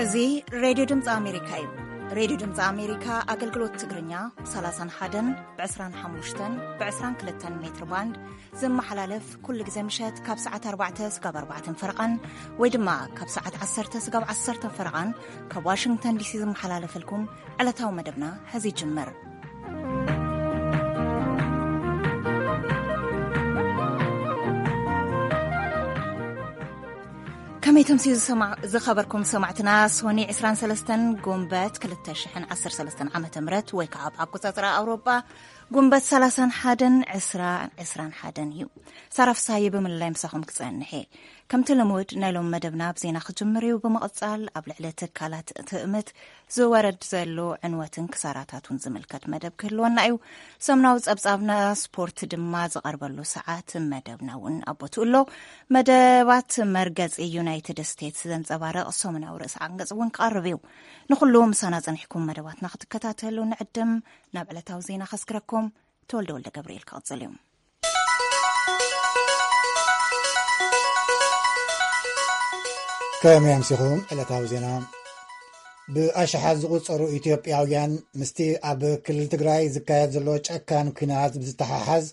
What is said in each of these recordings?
እዚ ሬድዮ ድምፂ ኣሜሪካ እዩ። ሬድዮ ድምፂ ኣሜሪካ ኣገልግሎት ትግርኛ ብ31፣ ብ25፣ ብ22 ሜትር ባንድ ዝመሓላለፍ ኩሉ ግዜ ምሸት ካብ ሰዓት ኣርባዕተ ስጋብ ኣርባዕተን ፈረቓን ወይ ድማ ካብ ሰዓት ዓሰርተ ስጋብ ዓሰርተን ፈረቓን ካብ ዋሽንግተን ዲሲ ዝመሓላለፈልኩም ዕለታዊ መደብና ሕዚ ይጅምር። ከመይ ተምስዩ ዝሰማዕ-፣ ዝኸበርኩም ሰማዕትና፣ ሶኒ ዕስራን ሰለስተን ጉንበት ክልተ ሽሕን ዓሰርተ ሰለስተን ዓመተ ምህረት ወይ ከዓ ኣብ ኣቆጻጽራ ኣውሮጳ ጉንበት ሰላሳን ሓደን ዕስራ ዕስራን ሓደን እዩ። ሳራ ፍሳሃየ ብምልላይ ምሳኹም ክጸንሕ እየ። ከምቲ ልሙድ ናይ ሎም መደብና ብዜና ክጅምር እዩ። ብምቕጻል ኣብ ልዕሊ ትካላት ትእምት ዝወረድ ዘሎ ዕንወትን ክሳራታቱን ዝምልከት መደብ ክህልወና እዩ። ሰሙናዊ ጸብጻብና ስፖርት ድማ ዝቐርበሉ ሰዓት መደብና እውን ኣብ ቦትኡ ኣሎ። መደባት መርገጺ ዩናይትድ ስቴትስ ዘንጸባርቕ ሰሙናዊ ርእሰ ዓንቀጽ እውን ክቐርብ እዩ። ንኹሉ ምሳና ጸኒሕኩም መደባትና ክትከታተሉ ንዕድም። ናብ ዕለታዊ ዜና ከስክረኩም። ተወልደ ወልደ ገብርኤል ክቕጽል እዩ። ከመይ ኣምሲኹም? ዕለታዊ ዜና። ብኣሽሓት ዝቑጸሩ ኢትዮጵያውያን ምስቲ ኣብ ክልል ትግራይ ዝካየድ ዘሎ ጨካን ኲናት ብዝተሓሓዝ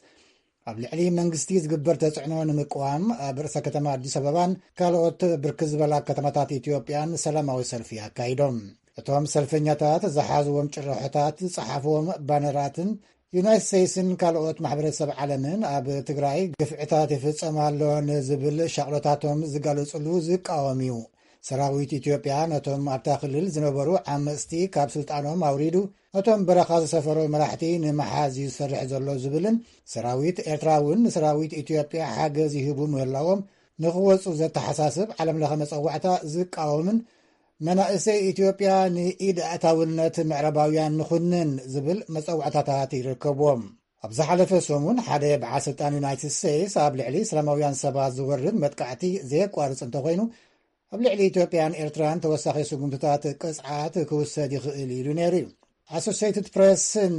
ኣብ ልዕሊ መንግስቲ ዝግበር ተጽዕኖ ንምቅዋም ኣብ ርእሰ ከተማ ኣዲስ ኣበባን ካልኦት ብርክት ዝበላ ከተማታት ኢትዮጵያን ሰላማዊ ሰልፊ ኣካይዶም። እቶም ሰልፈኛታት ዝሓዝዎም ጭርሖታት፣ ዝጸሓፍዎም ባነራትን ዩናይትድ ስቴትስን ካልኦት ማሕበረሰብ ዓለምን ኣብ ትግራይ ግፍዕታት ይፍጸም ኣሎ ንዝብል ሻቕሎታቶም ዝጋለጽሉ ዝቃወም እዩ። ሰራዊት ኢትዮጵያ ነቶም ኣብታ ክልል ዝነበሩ ዓመጽቲ ካብ ስልጣኖም ኣውሪዱ፣ ነቶም በረኻ ዝሰፈሩ መራሕቲ ንምሓዝ እዩ ዝሰርሕ ዘሎ ዝብልን፣ ሰራዊት ኤርትራ እውን ንሰራዊት ኢትዮጵያ ሓገዝ ይህቡ ምህላዎም ንኽወጹ ዘተሓሳስብ ዓለምለኸ መጸዋዕታ ዝቃወምን፣ መናእሰይ ኢትዮጵያ ንኢድ ኣእታውነት ምዕራባውያን ንኹንን ዝብል መጸዋዕታታት ይርከብዎም። ኣብ ዝሓለፈ ሰሙን ሓደ በዓል ስልጣን ዩናይትድ ስቴትስ ኣብ ልዕሊ ሰላማውያን ሰባት ዝወርድ መጥቃዕቲ ዘየቋርጽ እንተኾይኑ፣ ኣብ ልዕሊ ኢትዮጵያን ኤርትራን ተወሳኺ ስጉምትታት ቅጽዓት ክውሰድ ይኽእል ኢሉ ነይሩ እዩ። ኣሶሲየትድ ፕሬስን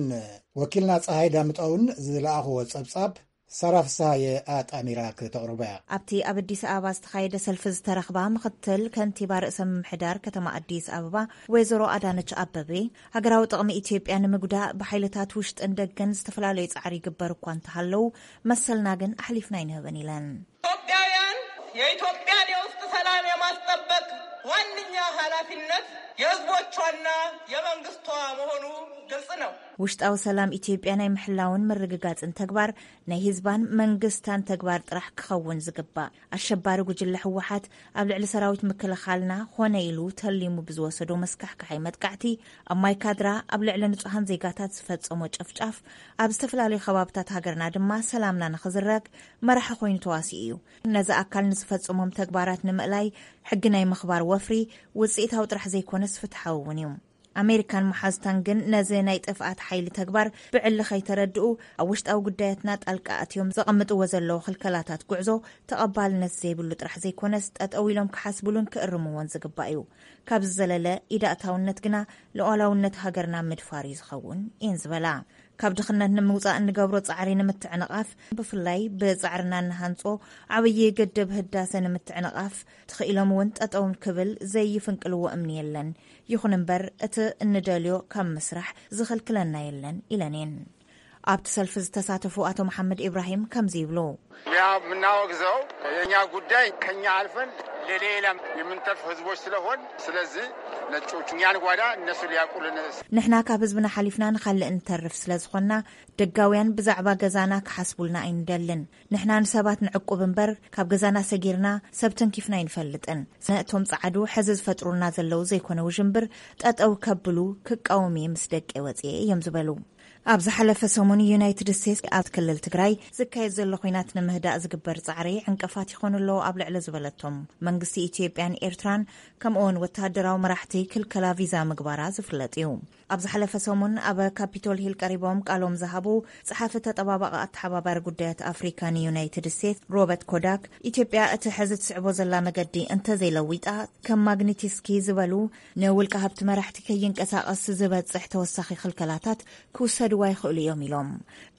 ወኪልና ፀሃይ ዳምጠውን ዝለኣኽዎ ጸብጻብ ሳራ ፍስሃየ ኣጣሚራ ክተቕርቦ እያ። ኣብቲ ኣብ ኣዲስ ኣበባ ዝተኻየደ ሰልፊ ዝተረኽባ ምኽትል ከንቲባ ርእሰ ምምሕዳር ከተማ ኣዲስ ኣበባ ወይዘሮ ኣዳነች ኣበቤ፣ ሃገራዊ ጥቕሚ ኢትዮጵያ ንምጉዳእ ብሓይልታት ውሽጥን ደገን ዝተፈላለዩ ጻዕሪ ይግበር እኳ እንተሃለዉ፣ መሰልና ግን ኣሕሊፍና ኣይንህብን ኢለን። ኢትዮጵያውያን፣ የኢትዮጵያን የውስጥ ሰላም የማስጠበቅ ዋነኛ ኃላፊነት የህዝቦቿና የመንግስቷ መሆኑ ግልጽ ነው። ውሽጣዊ ሰላም ኢትዮጵያ ናይ ምሕላውን ምርግጋጽን ተግባር ናይ ህዝባን መንግስታን ተግባር ጥራሕ ክኸውን ዝግባእ። ኣሸባሪ ጉጅለ ህወሓት ኣብ ልዕሊ ሰራዊት ምክልኻልና ኾነ ኢሉ ተሊሙ ብዝወሰዶ መስካሕካሓይ መጥቃዕቲ፣ ኣብ ማይካድራ ኣብ ልዕሊ ንጹሃን ዜጋታት ዝፈጸሞ ጨፍጫፍ፣ ኣብ ዝተፈላለዩ ከባብታት ሃገርና ድማ ሰላምና ንኽዝረግ መራሒ ኮይኑ ተዋሲኡ እዩ። ነዚ ኣካል ንዝፈጸሞም ተግባራት ንምእላይ ሕጊ ናይ ምኽባር ወፍሪ ውጽኢታዊ ጥራሕ ዘይኮነስ ፍትሓዊ እውን እዩ። ኣሜሪካን መሓዙታን ግን ነዚ ናይ ጥፍኣት ሓይሊ ተግባር ብዕሊ ከይተረድኡ፣ ኣብ ውሽጣዊ ጉዳያትና ጣልቃ ኣትዮም ዘቐምጥዎ ዘለዉ ክልከላታት ጉዕዞ ተቐባልነት ዘይብሉ ጥራሕ ዘይኮነስ፣ ጠጠው ኢሎም ክሓስብሉን ክእርምዎን ዝግባእ እዩ። ካብ ዝዘለለ ኢዳእታውነት ግና ሉዓላውነት ሃገርና ምድፋር እዩ ዝኸውን እየን ዝበላ። ካብ ድኽነት ንምውጻእ እንገብሮ ጻዕሪ ንምትዕንቓፍ፣ ብፍላይ ብጻዕርና እንሃንጾ ዓብዪ ግድብ ህዳሰ ንምትዕንቓፍ፣ ተኽኢሎም እውን ጠጠው ክብል ዘይፍንቅልዎ እምኒ የለን። ይኹን እምበር፣ እቲ እንደልዮ ካብ ምስራሕ ዝኽልክለና የለን ኢለን እየን። ኣብቲ ሰልፊ ዝተሳተፉ ኣቶ መሓመድ ኢብራሂም ከምዚ ይብሉ። እኛ የምናወግዘው የእኛ ጉዳይ ከኛ አልፈን ለሌላ የምንተርፍ ህዝቦች ስለሆን፣ ስለዚህ ነጮቹ እኛን ጓዳ እነሱ ሊያውቁልን። ንሕና ካብ ህዝብና ሓሊፍና ንኻልእ እንተርፍ ስለ ዝኾንና፣ ደጋውያን ብዛዕባ ገዛና ክሓስቡልና ኣይንደልን። ንሕና ንሰባት ንዕቁብ እምበር፣ ካብ ገዛና ሰጊርና ሰብ ተንኪፍና ኣይንፈልጥን። ነቶም ጸዓዱ ሕዚ ዝፈጥሩልና ዘለዉ ዘይኮነ ውዥንብር ጠጠው ከብሉ ክቃወም እየ ምስ ደቀይ ወጽየ እዮም ዝበሉ። ኣብ ዝሓለፈ ሰሙን ዩናይትድ ስቴትስ ኣብ ክልል ትግራይ ዝካየድ ዘሎ ኲናት ንምህዳእ ዝግበር ጻዕሪ ዕንቅፋት ይኾኑ ኣለዉ ኣብ ልዕሊ ዝበለቶም መንግስቲ ኢትዮጵያን ኤርትራን ከምኡውን ወተሃደራዊ መራሕቲ ክልከላ ቪዛ ምግባራ ዝፍለጥ እዩ። ኣብ ዝሓለፈ ሰሙን ኣብ ካፒቶል ሂል ቀሪቦም ቃሎም ዝሃቡ ጸሓፊ ተጠባባቂ ኣተሓባባሪ ጉዳያት ኣፍሪካ ንዩናይትድ ስቴትስ ሮበርት ኮዳክ፣ ኢትዮጵያ እቲ ሕዚ ትስዕቦ ዘላ መገዲ እንተዘይለዊጣ፣ ከም ማግኒቲስኪ ዝበሉ ንውልቀ ሃብቲ መራሕቲ ከይንቀሳቐስ ዝበጽሕ ተወሳኺ ክልከላታት ክውሰዱ ይኽእሉ እዮም ኢሎም።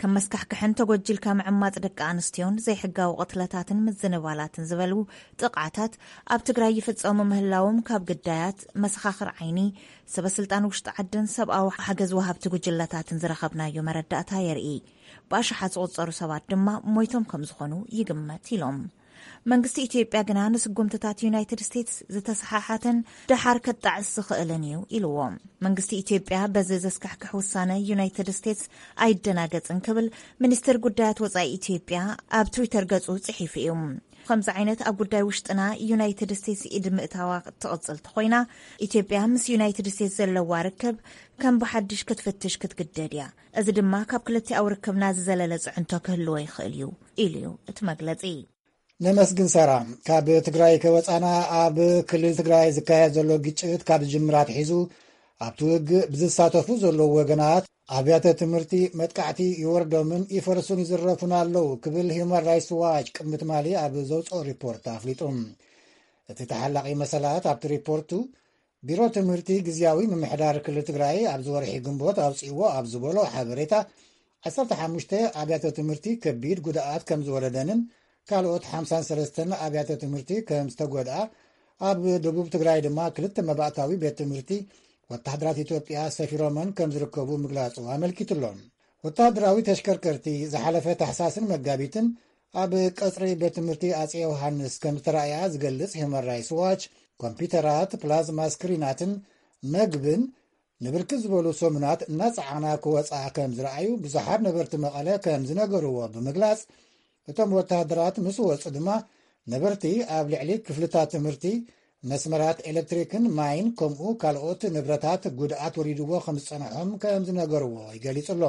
ከም መስካሕክሕን ተጎጂልካ ምዕማፅ ደቂ ኣንስትዮን ዘይሕጋዊ ቅትለታትን ምዝንባላትን ዝበሉ ጥቕዓታት ኣብ ትግራይ ይፍፀሙ ምህላዎም ካብ ግዳያት፣ መሰኻኽር ዓይኒ፣ ሰበ ስልጣን ውሽጢ ዓድን ሰብኣዊ ሓገዝ ወሃብቲ ጉጅለታትን ዝረኸብናዮ መረዳእታ የርኢ። ብኣሽሓት ዝቑፀሩ ሰባት ድማ ሞይቶም ከም ዝኾኑ ይግመት ኢሎም። መንግስቲ ኢትዮጵያ ግና ንስጉምትታት ዩናይትድ ስቴትስ ዝተሰሓሓተን ደሓር ከጣዕስ ዝኽእልን እዩ ኢልዎ። መንግስቲ ኢትዮጵያ በዚ ዘስካሕክሕ ውሳነ ዩናይትድ ስቴትስ ኣይደናገጽን ክብል ሚኒስትር ጉዳያት ወጻኢ ኢትዮጵያ ኣብ ትዊተር ገጹ ጽሒፉ እዩ። ከምዚ ዓይነት ኣብ ጉዳይ ውሽጥና ዩናይትድ ስቴትስ ኢድ ምእታዋ ትቕጽል ተኾይና፣ ኢትዮጵያ ምስ ዩናይትድ ስቴትስ ዘለዋ ርክብ ከም ብሓድሽ ክትፍትሽ ክትግደድ እያ። እዚ ድማ ካብ ክልቲኣዊ ርክብና ዝዘለለ ጽዕንቶ ክህልዎ ይኽእል እዩ ኢሉ እዩ እቲ መግለጺ። ነመስግን ሳራ። ካብ ትግራይ ከወፃና፣ ኣብ ክልል ትግራይ ዝካየድ ዘሎ ግጭት ካብ ዝጅምር ኣትሒዙ ኣብቲ ውግእ ብዝሳተፉ ዘለዉ ወገናት ኣብያተ ትምህርቲ መጥቃዕቲ ይወርዶምን ይፈርሱን ይዝረፉን ኣለዉ ክብል ሂውማን ራይትስ ዋች ቅድሚ ትማሊ ኣብ ዘውፅኦ ሪፖርት ኣፍሊጡ። እቲ ተሓላቒ መሰላት ኣብቲ ሪፖርቱ፣ ቢሮ ትምህርቲ ግዝያዊ ምምሕዳር ክልል ትግራይ ኣብዚ ወርሒ ግንቦት ኣውፅእዎ ኣብ ዝበሎ ሓበሬታ፣ ዓሰርተ ሓሙሽተ ኣብያተ ትምህርቲ ከቢድ ጉድኣት ከም ዝወረደንን ካልኦት ሓምሳን ሰለስተን ኣብያተ ትምህርቲ ከም ዝተጎድኣ፣ ኣብ ደቡብ ትግራይ ድማ ክልተ መባእታዊ ቤት ትምህርቲ ወታሃደራት ኢትዮጵያ ሰፊሮመን ከም ዝርከቡ ምግላፁ ኣመልኪቱሎም። ወታሃደራዊ ተሽከርከርቲ ዝሓለፈ ታሕሳስን መጋቢትን ኣብ ቀፅሪ ቤት ትምህርቲ ኣፀ ዮሃንስ ከም ዝተራእያ ዝገልፅ ሂውማን ራይትስ ዋች፣ ኮምፒውተራት፣ ፕላዝማ ስክሪናትን መግብን ንብርክት ዝበሉ ሰሙናት እናፀዓና ክወፃ ከም ዝረኣዩ ብዙሓት ነበርቲ መቐለ ከም ዝነገርዎ ብምግላፅ፣ እቶም ወታሃደራት ምስ ወፁ ድማ ነበርቲ ኣብ ልዕሊ ክፍልታት ትምህርቲ፣ መስመራት ኤሌክትሪክን ማይን ከምኡ ካልኦት ንብረታት ጉድኣት ወሪድዎ ከም ዝፀንሖም ከም ዝነገርዎ ይገሊፁ ኣሎ።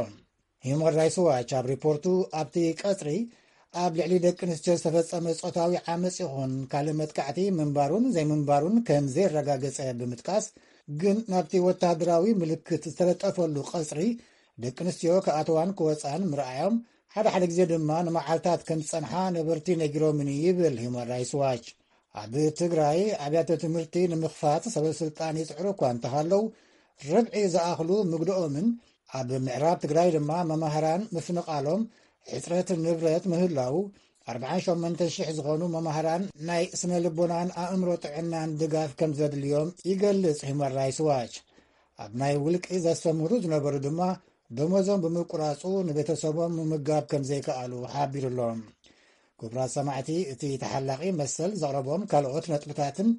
ሂውማን ራይትስ ዋች ኣብ ሪፖርቱ ኣብቲ ቀፅሪ ኣብ ልዕሊ ደቂ ኣንስትዮ ዝተፈፀመ ፆታዊ ዓመፅ ይኹን ካልእ መጥቃዕቲ ምንባሩን ዘይምንባሩን ከም ዘየረጋገፀ ብምጥቃስ፣ ግን ናብቲ ወታሃደራዊ ምልክት ዝተለጠፈሉ ቀፅሪ ደቂ ኣንስትዮ ክኣትዋን ክወፃን ምርኣዮም፣ ሓደ ሓደ ግዜ ድማ ንመዓልታት ከም ዝፀንሓ ነበርቲ ነጊሮምኒ ይብል ሂውማን ራይትስ ዋች። ኣብ ትግራይ ኣብያተ ትምህርቲ ንምኽፋት ሰበ ስልጣን ይፅዕሩ እኳ እንተሃለዉ፣ ርብዒ ዝኣኽሉ ምግድኦምን ኣብ ምዕራብ ትግራይ ድማ መማህራን ምፍንቓሎም፣ ሕፅረት ንብረት ምህላዉ፣ ኣርብዓን ሸሞንተን ሽሕ ዝኾኑ መማህራን ናይ ስነ ልቦናን ኣእምሮ ጥዕናን ድጋፍ ከም ዘድልዮም ይገልጽ ሂውማን ራይትስ ዋች። ኣብ ናይ ውልቂ ዘስተምህሩ ዝነበሩ ድማ ደሞዞም ብምቁራፁ ንቤተሰቦም ምምጋብ ከም ዘይከኣሉ ሓቢሩሎም። ክቡራት ሰማዕቲ፣ እቲ ተሓላቒ መሰል ዘቕረቦም ካልኦት ነጥብታትን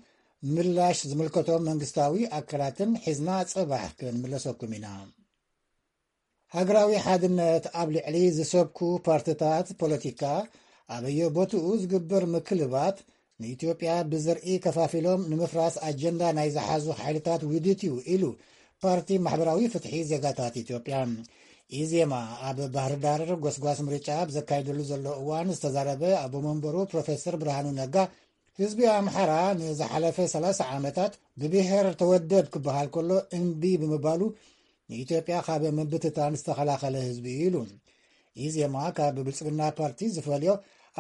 ምላሽ ዝምልከቶም መንግስታዊ ኣካላትን ሒዝና ጽባሕ ክንምለሰኩም ኢና። ሃገራዊ ሓድነት ኣብ ልዕሊ ዝሰብኩ ፓርትታት ፖለቲካ ኣበየ ቦትኡ ዝግበር ምክልባት ንኢትዮጵያ ብዘርኢ ከፋፊሎም ንምፍራስ ኣጀንዳ ናይ ዝሓዙ ሓይልታት ውዲት እዩ ኢሉ ፓርቲ ማሕበራዊ ፍትሒ ዜጋታት ኢትዮጵያ። ኢዜማ ኣብ ባህር ዳር ጎስጓስ ምርጫ ኣብ ዘካይደሉ ዘሎ እዋን ዝተዛረበ ኣቦ መንበሩ ፕሮፌሰር ብርሃኑ ነጋ፣ ህዝቢ ኣምሓራ ንዝሓለፈ ሰላሳ ዓመታት ብብሔር ተወደብ ክበሃል ከሎ እምቢ ብምባሉ ንኢትዮጵያ ካብ ምብትታን ዝተኸላኸለ ህዝቢ እዩ ኢሉ። ኢዜማ ካብ ብልጽግና ፓርቲ ዝፈልዮ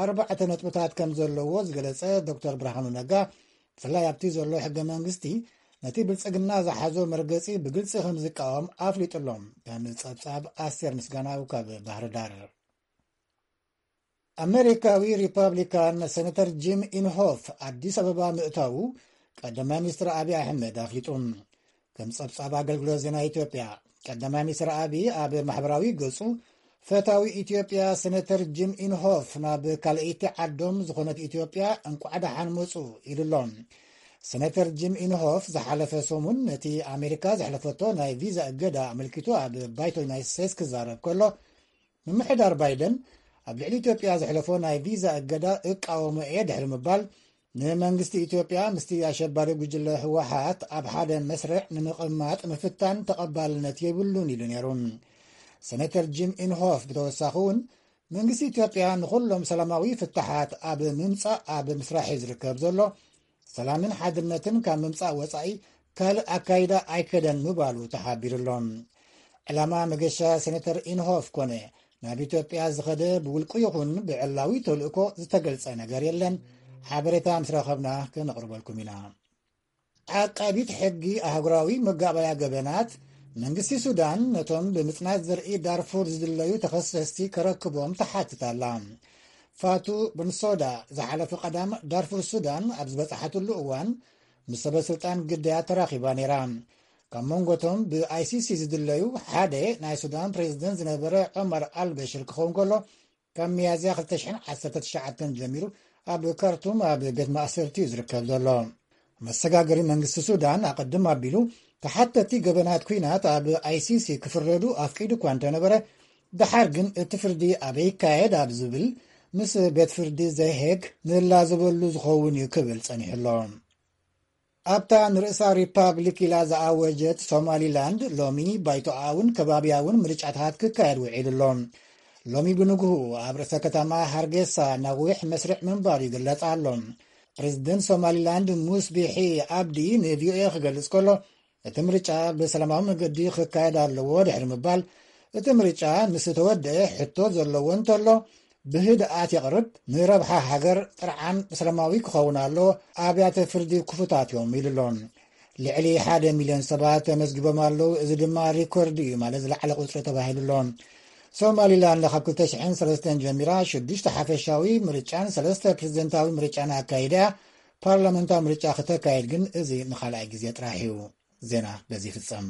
ኣርባዕተ ነጥብታት ከም ዘለዎ ዝገለጸ ዶክተር ብርሃኑ ነጋ፣ ብፍላይ ኣብቲ ዘሎ ሕገ መንግስቲ ነቲ ብልጽግና ዝሓዞ መርገጺ ብግልጺ ከም ዝቃወም ኣፍሊጡሎም። ከም ጸብጻብ ኣስቴር ምስጋናው ካብ ባህር ዳር። ኣመሪካዊ ሪፐብሊካን ሴነተር ጂም ኢንሆፍ ኣዲስ ኣበባ ምእታዉ ቀዳማይ ሚኒስትር ኣብይ ኣሕመድ ኣፍሊጡ። ከም ጸብጻብ ኣገልግሎት ዜና ኢትዮጵያ፣ ቀዳማይ ሚኒስትር ኣብይ ኣብ ማሕበራዊ ገጹ፣ ፈታዊ ኢትዮጵያ ሴነተር ጂም ኢንሆፍ ናብ ካልኣይቲ ዓዶም ዝኾነት ኢትዮጵያ እንቋዕ ደሓን መጹ ኢሉ ኣሎ። ሴነተር ጂም ኢንሆፍ ዝሓለፈ ሰሙን ነቲ ኣሜሪካ ዘሕለፈቶ ናይ ቪዛ እገዳ ኣመልኪቱ ኣብ ባይቶ ዩናይትድ ስቴትስ ክዛረብ ከሎ፣ ምምሕዳር ባይደን ኣብ ልዕሊ ኢትዮጵያ ዘሕለፎ ናይ ቪዛ እገዳ እቃወሞ እየ ድሕሪ ምባል፣ ንመንግስቲ ኢትዮጵያ ምስቲ ኣሸባሪ ጉጅለ ህወሓት ኣብ ሓደ መስርዕ ንምቕማጥ ምፍታን ተቐባልነት የብሉን ኢሉ ነይሩ። ሴነተር ጂም ኢንሆፍ ብተወሳኺ እውን፣ መንግስቲ ኢትዮጵያ ንኹሎም ሰላማዊ ፍታሓት ኣብ ምምጻእ ኣብ ምስራሕ እዩ ዝርከብ ዘሎ፣ ሰላምን ሓድነትን ካብ ምምጻእ ወጻኢ ካልእ ኣካይዳ ኣይከደን ምባሉ ተሓቢሩ ኣሎ። ዕላማ መገሻ ሴነተር ኢንሆፍ ኮነ ናብ ኢትዮጵያ ዝኸደ ብውልቁ ይኹን ብዕላዊ ተልእኮ ዝተገልጸ ነገር የለን። ሓበሬታ ምስ ረኸብና ክነቕርበልኩም ኢና። ዓቃቢት ሕጊ ኣህጉራዊ መጋባያ ገበናት መንግስቲ ሱዳን ነቶም ብምጽናት ዘርኢ ዳርፉር ዝድለዩ ተኸሰስቲ ከረክቦም ተሓትት ኣላ። ፋቱ ብንሶዳ ዝሓለፈ ቀዳም ዳርፉር ሱዳን ኣብ ዝበጽሓትሉ እዋን ምስ ሰበ ስልጣን ግዳያት ተራኺባ ነይራ። ካብ መንጎቶም ብ I C C ዝድለዩ ሓደ ናይ ሱዳን ፕሬዝደንት ዝነበረ ዑመር ኣልበሽር ክኸውን ከሎ፣ ካብ ሚያዝያ ክልተ ሽሕን ዓሰርተ ትሽዓተን ጀሚሩ ኣብ ካርቱም ኣብ ቤት ማእሰርቲ እዩ ዝርከብ ዘሎ። መሰጋገሪ መንግስቲ ሱዳን ኣቐድም ኣቢሉ ተሓተቲ ገበናት ኲናት ኣብ I C C ክፍረዱ ኣፍቂዱ እኳ እንተነበረ፣ ደሓር ግን እቲ ፍርዲ ኣበይ ይካየድ ኣብ ዝብል ምስ ቤት ፍርዲ ዘሄግ ንላዘበሉ ዝኸውን እዩ ክብል ጸኒሑ ኣሎ። ኣብታ ንርእሳ ሪፓብሊክ ኢላ ዝኣወጀት ሶማሊላንድ ሎሚ ባይቶኣውን ከባቢያውን ምርጫታት ክካየድ ውዒሉ ኣሎ። ሎሚ ብንግሁ ኣብ ርእሰ ከተማ ሃርጌሳ ነዊሕ መስርዕ ምንባሩ ይግለጽ ኣሎ። ፕሬዝደንት ሶማሊላንድ ሙስ ቢሒ ኣብዲ ን ቪኦኤ ክገልጽ ከሎ፣ እቲ ምርጫ ብሰላማዊ መገዲ ክካየድ ኣለዎ ድሕሪ ምባል፣ እቲ ምርጫ ምስ ተወደአ ሕቶ ዘለዎ እንተሎ ብህድኣት የቕርብ፣ ንረብሓ ሃገር ጥርዓን ሰላማዊ ክኸውን ኣሎ፣ ኣብያተ ፍርዲ ክፉታት እዮም ኢሉ ኣሎ። ልዕሊ ሓደ ሚልዮን ሰባት ተመዝጊቦም ኣለዉ፣ እዚ ድማ ሪኮርድ እዩ፣ ማለት ዝለዓለ ቁጽሪ ተባሂሉ ኣሎ። ሶማሊላንድ ካብ ክልተ ሽሕን ሰለስተን ጀሚራ ሽዱሽተ ሓፈሻዊ ምርጫን ሰለስተ ፕሬዝደንታዊ ምርጫን ኣካይዳ፣ ፓርላመንታዊ ምርጫ ክተካየድ ግን እዚ ንኻልኣይ ግዜ ጥራሕ እዩ። ዜና በዚ ይፍጸም።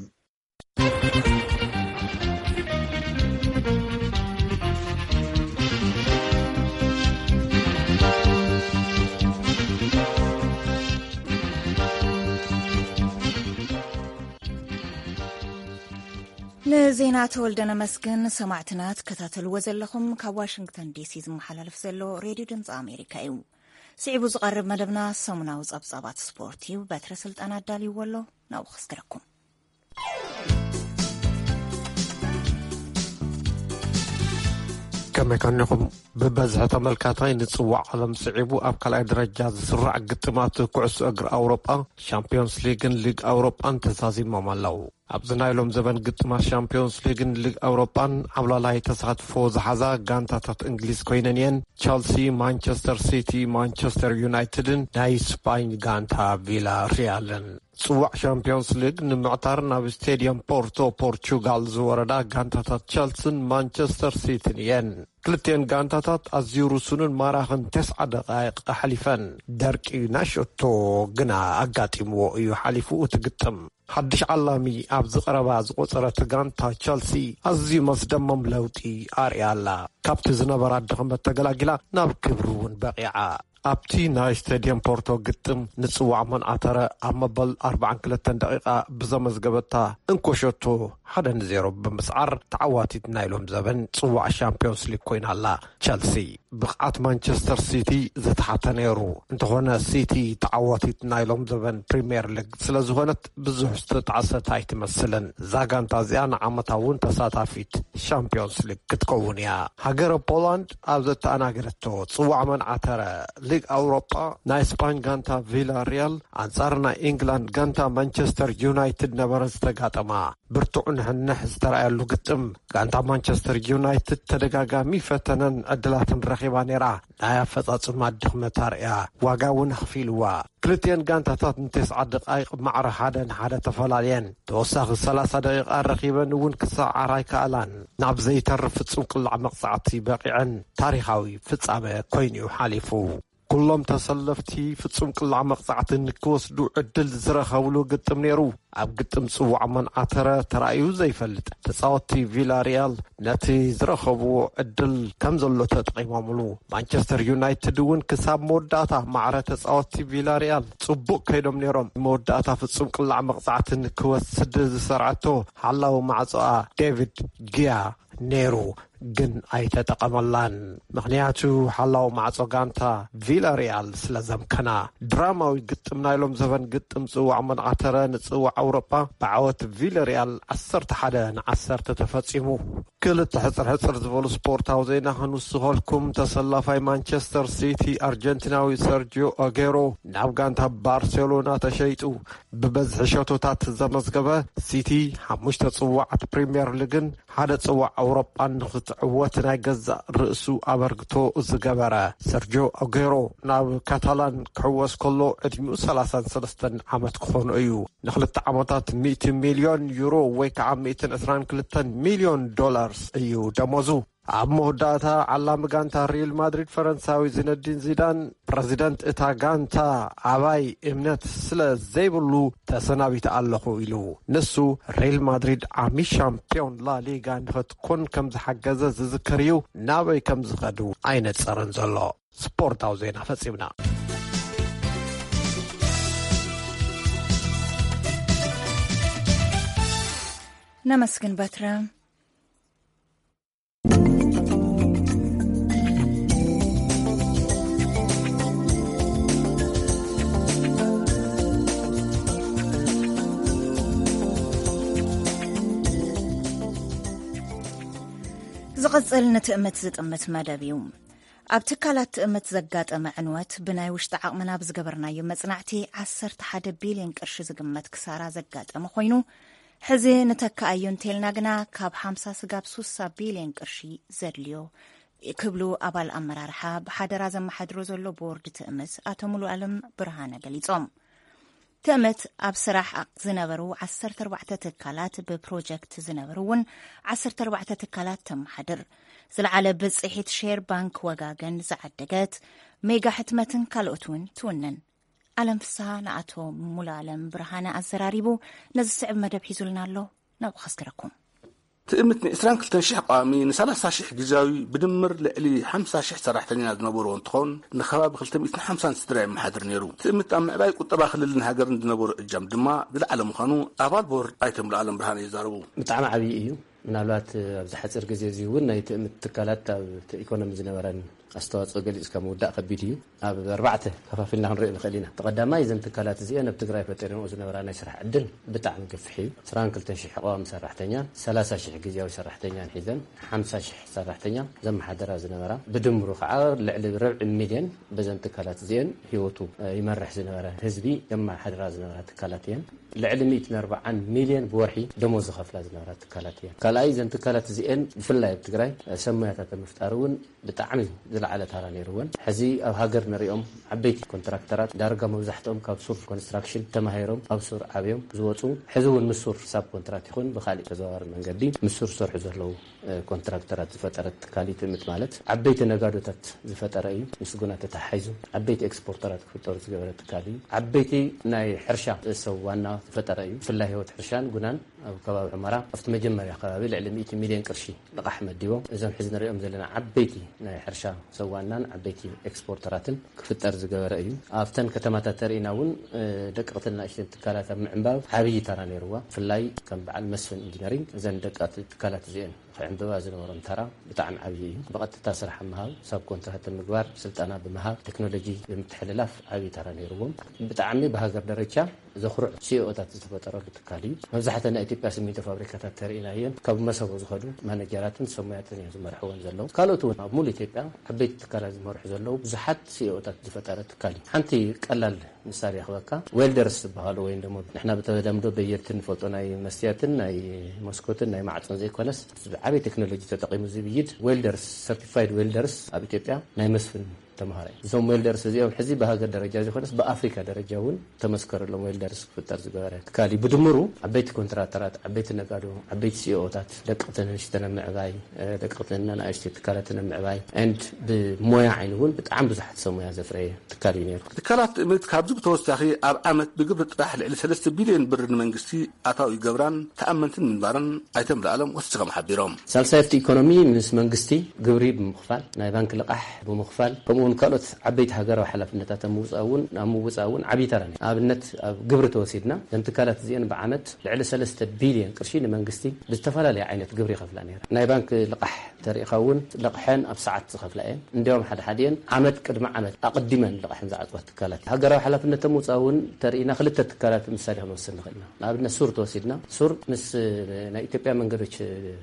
ንዜና ተወልደ ነመስግን። ሰማዕትና ትከታተልዎ ዘለኹም ካብ ዋሽንግተን D C ዝመሓላለፍ ዘሎ ሬድዮ ድምፂ ኣሜሪካ እዩ። ስዒቡ ዝቐርብ መደብና ሰሙናዊ ጸብጻባት ስፖርት እዩ። በትረ ስልጣን ኣዳልይዎ ኣሎ፣ ናብኡ ክስግረኩም። ከመይ ከኒኹም? ብበዝሒ ተመልካታይ ንጽዋዕ ዓለም ስዒቡ ኣብ ካልኣይ ደረጃ ዝስራዕ ግጥማት ኩዕሶ እግሪ ኣውሮጳ፣ ሻምፒዮንስ ሊግን ሊግ ኣውሮጳን ተዛዚሞም ኣለዉ። ኣብዚ ናይ ሎም ዘበን ግጥማት ሻምፒዮንስ ሊግን ሊግ ኣውሮጳን ዓብላላይ ተሳትፎ ዝሓዛ ጋንታታት እንግሊዝ ኮይነን እየን። ቸልሲ፣ ማንቸስተር ሲቲ፣ ማንቸስተር ዩናይትድን ናይ ስፓኝ ጋንታ ቪላ ሪያልን። ጽዋዕ ሻምፒዮንስ ሊግ ንምዕታር ናብ ስቴድየም ፖርቶ ፖርቹጋል ዝወረዳ ጋንታታት ቸልስን ማንቸስተር ሲቲን እየን። ክልቲኤን ጋንታታት ኣዝዩ ርሱንን ማራኽን ተስዓ ደቃይቕ ኣሕሊፈን። ደርቂ ናይ ሸቶ ግና ኣጋጢምዎ እዩ ሓሊፉ እቲ ግጥም። ሓድሽ ዓላሚ ኣብዚ ቀረባ ዝቖጸረት ጋንታ ቸልሲ ኣዝዩ መስደመም ለውጢ ኣርእያ ኣላ። ካብቲ ዝነበራ ድኽመት ተገላጊላ ናብ ክብሪ እውን በቒዓ። ኣብቲ ናይ ስቴድየም ፖርቶ ግጥም ንጽዋዕ መንዓተረ ኣብ መበል ኣርባዓን ክልተን ደቂቓ ብዘመዝገበታ እንኮ ሸቶ ሓደ ንዜሮ ብምስዓር ተዓዋቲት ናይ ሎም ዘበን ጽዋዕ ሻምፒዮንስ ሊግ ኮይና ኣላ። ቸልሲ ብቕዓት ማንቸስተር ሲቲ ዝተሓተ ነይሩ። እንተኾነ ሲቲ ተዓዋቲት ናይ ሎም ዘበን ፕሪምየር ሊግ ስለ ዝኾነት ብዙሕ ዝተጣዕሰት ኣይትመስልን። እዛ ጋንታ እዚኣ ንዓመታ እውን ተሳታፊት ሻምፒዮንስ ሊግ ክትከውን እያ። ሃገረ ፖላንድ ኣብ ዘተኣናገደቶ ጽዋዕ መንዓተረ ሊግ ኣውሮጳ ናይ ስፓኝ ጋንታ ቪላ ሪያል ኣንጻር ናይ ኢንግላንድ ጋንታ ማንቸስተር ዩናይትድ ነበረ ዝተጋጠማ። ብርቱዕ ንሕንሕ ዝተረኣየሉ ግጥም፣ ጋንታ ማንቸስተር ዩናይትድ ተደጋጋሚ ፈተነን ዕድላትን ረኺባ ነይራ። ናይ ኣፈጻጽማ ድኽመት ኣርእያ፣ ዋጋ እውን ኣኽፊልዋ። ክልቲኤን ጋንታታት ንተስዓ ደቓይቕ ማዕረ ሓደ ንሓደ ተፈላለየን። ተወሳኺ ሰላሳ ደቂቓ ረኺበን እውን ክሰዓራ ኣይከኣላን። ናብ ዘይተርፍ ፍጹም ቅላዕ መቕጻዕቲ በቒዐን። ታሪኻዊ ፍጻመ ኮይኑ'ዩ ሓሊፉ። ኩሎም ተሰለፍቲ ፍጹም ቅላዕ መቕጻዕቲ ንክወስዱ ዕድል ዝረኸብሉ ግጥም ነይሩ። ኣብ ግጥም ጽዋዕ መንዓተረ ተራእዩ ዘይፈልጥ። ተጻወትቲ ቪላሪያል ነቲ ዝረኸብዎ ዕድል ከም ዘሎ ተጠቒሞምሉ። ማንቸስተር ዩናይትድ እውን ክሳብ መወዳእታ ማዕረ ተጻወትቲ ቪላሪያል ጽቡቕ ከይዶም ነይሮም። መወዳእታ ፍጹም ቅላዕ መቕጻዕቲ ንክወስድ ዝሰርዐቶ ሓላዊ ማዕጾኣ ዴቪድ ጊያ ነይሩ፣ ግን ኣይተጠቐመላን። ምኽንያቱ ሓላው ማዕጾ ጋንታ ቪላሪያል ስለ ዘምከና። ድራማዊ ግጥም ናይ ሎም ዘበን ግጥም ጽዋዕ መንዓተረ ንጽዋዕ ኣውሮጳ ብዓወት ቪላሪያል ዓሰርተ ሓደ ንዓሰርተ ተፈጺሙ። ክልተ ሕጽር ሕጽር ዝበሉ ስፖርታዊ ዜና ክንውስኸልኩም። ተሰላፋይ ማንቸስተር ሲቲ ኣርጀንቲናዊ ሰርጂዮ ኣጌሮ ናብ ጋንታ ባርሴሎና ተሸይጡ። ብበዝሒ ሸቶታት ዘመዝገበ ሲቲ ሓሙሽተ ጽዋዓት ፕሪምየር ሊግን ሓደ ጽዋዕ ኣውሮጳን ንኽት ዕወት ናይ ገዛእ ርእሱ ኣበርክቶ ዝገበረ ሰርጆ ኣጉዌሮ ናብ ካታላን ክሕወስ ከሎ ዕድሚኡ ሰላሳን ሰለስተን ዓመት ክኾኖ እዩ። ንኽልተ ዓመታት ሚእቲ ሚልዮን ዩሮ ወይ ከዓ ሚእትን ዕስራን ክልተን ሚልዮን ዶላርስ እዩ ደሞዙ። ኣብ መወዳእታ ዓላሚ ጋንታ ሪል ማድሪድ ፈረንሳዊ ዚነዲን ዚዳን፣ ፕረዚደንት እታ ጋንታ ኣባይ እምነት ስለ ዘይብሉ ተሰናቢተ ኣለኹ ኢሉ። ንሱ ሪል ማድሪድ ዓሚ ሻምፒዮን ላሊጋ ንኽትኮን ከም ዝሓገዘ ዝዝከር እዩ። ናበይ ከም ዝኸዱ ኣይነጸረን ዘሎ። ስፖርታዊ ዜና ፈጺምና። ነመስግን በትረ። ዝቕጽል ንትእምት ዝጥምት መደብ እዩ። ኣብ ትካላት ትእምት ዘጋጠመ ዕንወት ብናይ ውሽጢ ዓቕምና ብዝገበርናዮ መጽናዕቲ ዓሰርተ ሓደ ቢልዮን ቅርሺ ዝግመት ክሳራ ዘጋጠመ ኮይኑ፣ ሕዚ ንተክኣዮ እንተልና ግና ካብ ሓምሳ ስጋብ ሱሳ ቢልዮን ቅርሺ ዘድልዮ ክብሉ ኣባል ኣመራርሓ ብሓደራ ዘመሓድሮ ዘሎ ቦርድ ትእምት ኣቶ ሙሉ ኣለም ብርሃነ ገሊጾም። ትእምት ኣብ ስራሕ ዝነበሩ ዓሰርተ ኣርባዕተ ትካላት ብፕሮጀክት ዝነበሩ እውን ዓሰርተ ኣርባዕተ ትካላት ተመሓድር። ዝለዓለ ብፅሒት ሼር ባንክ ወጋገን ዝዓደገት ሜጋ ሕትመትን ካልኦት እውን ትውንን። ኣለም ፍስሃ ንኣቶ ሙሉ ኣለም ብርሃነ ኣዘራሪቡ ነዚ ስዕብ መደብ ሒዙልና ኣሎ። ናብኡ ከስግረኩም። ትእምት ን22 ሺሕ ቋሚ፣ ን30 ሺሕ ግዝያዊ ብድምር ልዕሊ ሓምሳ ሺሕ ሰራሕተኛ ዝነበርዎ እንትኾን፣ ንከባቢ ክልተ ሚእትን ሓምሳን ስድራ የመሓድር ነይሩ። ትእምት ኣብ ምዕባይ ቁጠባ ክልልን ሃገርን ዝነበሮ እጃም ድማ ዝለዓለ ምዃኑ ኣባል ቦርድ ኣይተ ሙሉኣለም ብርሃነ ይዛረቡ። ብጣዕሚ ዓብዪ እዩ። ምናልባት ኣብዚ ሓፂር ግዜ እዚ እውን ናይ ትእምት ትካላት ኣብ ኢኮኖሚ ዝነበረን ኣስተዋፅኦ ገሊፅካ ምውዳእ ከቢድ እዩ። ኣብ ኣርባዕተ ከፋፊልና ክንሪኦ ንኽእል ኢና። እቲ ቀዳማይ፣ እዘን ትካላት እዚአን ኣብ ትግራይ ፈጢረንኦ ዝነበራ ናይ ስራሕ ዕድል ብጣዕሚ ገፊሕ እዩ። ዕስራን ክልተን ሺሕ ቀዋሚ ሰራሕተኛን ሰላሳ ሺሕ ግዝያዊ ሰራሕተኛን ሒዘን ሓምሳ ሺሕ ሰራሕተኛ ዘመሓደራ ዝነበራ፣ ብድምሩ ከዓ ልዕሊ ርብዒ ሚልዮን በዘን ትካላት እዚአን ህይወቱ ይመርሕ ዝነበረ ህዝቢ ዘመሓድራ ዝነበራ ትካላት እየን። ልዕሊ ሚእትን ኣርባዓን ሚልዮን ብወርሒ ደሞዝ ዝኸፍላ ዝነበራ ትካላት እየን። ካልኣይ፣ እዘን ትካላት እዚአን ብፍላይ ኣብ ትግራይ ሰብ ሞያታት ኣብ ምፍጣር እውን ብጣዕሚ ዝለዓለ ታራ ነይርወን። ሕዚ ኣብ ሃገር ንሪኦም ዓበይቲ ኮንትራክተራት ዳርጋ መብዛሕትኦም ካብ ሱር ኮንስትራክሽን ተማሂሮም ኣብ ሱር ዓብዮም ዝወፁ፣ ሕዚ እውን ምስ ሱር ሳብ ኮንትራት ይኹን ብካሊእ ተዘዋዋሪ መንገዲ ምስ ሱር ዝሰርሑ ዘለዉ ኮንትራክተራት ዝፈጠረት ትካል እዩ። ትእምት ማለት ዓበይቲ ነጋዶታት ዝፈጠረ እዩ። ምስ ጉና ተተሓሒዙ ዓበይቲ ኤክስፖርተራት ክፍጠሩ ዝገበረ ትካል እዩ። ዓበይቲ ናይ ሕርሻ ሰብ ዋና ዝፈጠረ እዩ። ብፍላይ ህይወት ሕርሻን ጉናን ኣብ ከባቢ ሑመራ ኣብቲ መጀመርያ ከባቢ ልዕሊ ሚእቲ ሚልዮን ቅርሺ ልቓሕ መዲቦም፣ እዞም ሕዚ ንሪኦም ዘለና ዓበይቲ ናይ ሕርሻ ሰብ ዋናን ዓበይቲ ኤክስፖርተራትን ክፍጠር ዝገበረ እዩ። ኣብተን ከተማታት ተርኢና እውን ደቀቕትን ንእሽተን ትካላት ኣብ ምዕንባብ ዓብዪ ተራ ነይርዋ። ብፍላይ ከም በዓል መስፍን ኢንጂነሪንግ እዘን ደቀቕቲ ትካላት እዚአን ክዕንብባ ዝነበሮም ተራ ብጣዕሚ ዓብዪ እዩ። ብቐጥታ ስራሕ ምሃብ፣ ሳብ ኮንትራት ምግባር፣ ስልጠና ብምሃብ፣ ቴክኖሎጂ ብምትሕልላፍ ዓብዪ ተራ ነይርዎም። ብጣዕሚ ብሃገር ደረጃ ዘኹርዕ ሲኦታት ዝተፈጠረሉ ትካል እዩ። መብዛሕተን ናይ ኢትዮጵያ ሲሚንቶ ፋብሪካታት ተርኢናየን ካብ መሰቦ ዝኸዱ ማነጀራትን ሰሙያትን እዮም ዝመርሕወን ዘለዉ። ካልኦት እውን ኣብ ሙሉ ኢትዮጵያ ዓበይቲ ትካላት ዝመርሑ ዘለዉ ብዙሓት ሲኦታት ዝፈጠረ ትካል እዩ። ሓንቲ ቀላል ምሳሌ ክበካ፣ ዌልደርስ ዝበሃሉ ወይም ደሞ ንሕና ብተለምዶ በየድቲ ንፈልጦ ናይ መስትያትን ናይ መስኮትን ናይ ማዕፆን ዘይኮነስ፣ ዓበይ ቴክኖሎጂ ተጠቂሙ ዝብይድ ዌልደርስ፣ ሰርቲፋይድ ዌልደርስ ኣብ ኢትዮጵያ ናይ መስፍን ተምሃራይ። እዞም ዌልደርስ እዚኦም ሕዚ ብሃገር ደረጃ ዘይኮነስ ብኣፍሪካ ደረጃ እውን ተመስከረሎም ዌልደርስ ክፍጠር ዝገበረ ትካል እዩ። ብድምሩ ዓበይቲ ኮንትራክተራት፣ ዓበይቲ ነጋዶ፣ ዓበይቲ ሲኦታት፣ ደቀቕትን ንእሽተን ኣብ ምዕባይ፣ ደቀቕትን ኣናእሽተይ ትካላትን ኣብ ምዕባይ፣ ኤንድ ብሞያ ዓይኒ እውን ብጣዕሚ ብዙሓት ሰብ ሞያ ዘፍረየ ትካል እዩ ነይሩ። ትካላት ትእምት ካብዚ ብተወሳኺ ኣብ ዓመት ብግብሪ ጥራሕ ልዕሊ ሰለስተ ቢልዮን ብር ንመንግስቲ ኣታዊ ይገብራን ተኣመንትን ምንባረን ኣይተ ሙሉኣለም ወሲኾም ሓቢሮም። ሳልሳይ ኣብቲ ኢኮኖሚ ምስ መንግስቲ ግብሪ ብምኽፋል፣ ናይ ባንክ ልቓሕ ብምኽፋል፣ ከምኡ እውን ካልኦት ዓበይቲ ሃገራዊ ሓላፍነታት ኣብ ምውፃእ እውን፣ ኣብ ምውፃእ እውን ዓብዪ ተራ ነይሩ። ንኣብነት ኣብ ግብሪ ተወሲድና፣ እዘን ትካላት እዚአን ብዓመት ልዕሊ ሰለስተ ቢልዮን ቅርሺ ንመንግስቲ ብዝተፈላለየ ዓይነት ግብሪ ይኸፍላ ነይረን። ናይ ባንክ ልቓሕ ተሪኢኻ እውን ልቕሐን ኣብ ሰዓት ዝኸፍላ እየን። እንዲያውም ሓደ ሓዲአን ዓመት ቅድሚ ዓመት ኣቐዲመን ልቕሐን ዝዓፅዋ ትካላት። ሃገራዊ ሓላፍነተን ምውፃእ እውን ተርኢና ክልተ ትካላት ምሳሌ ክንወስድ ንኽእል ኢና። ንኣብነት ሱር ተወሲድና፣ ሱር ምስ ናይ ኢትዮጵያ መንገዶች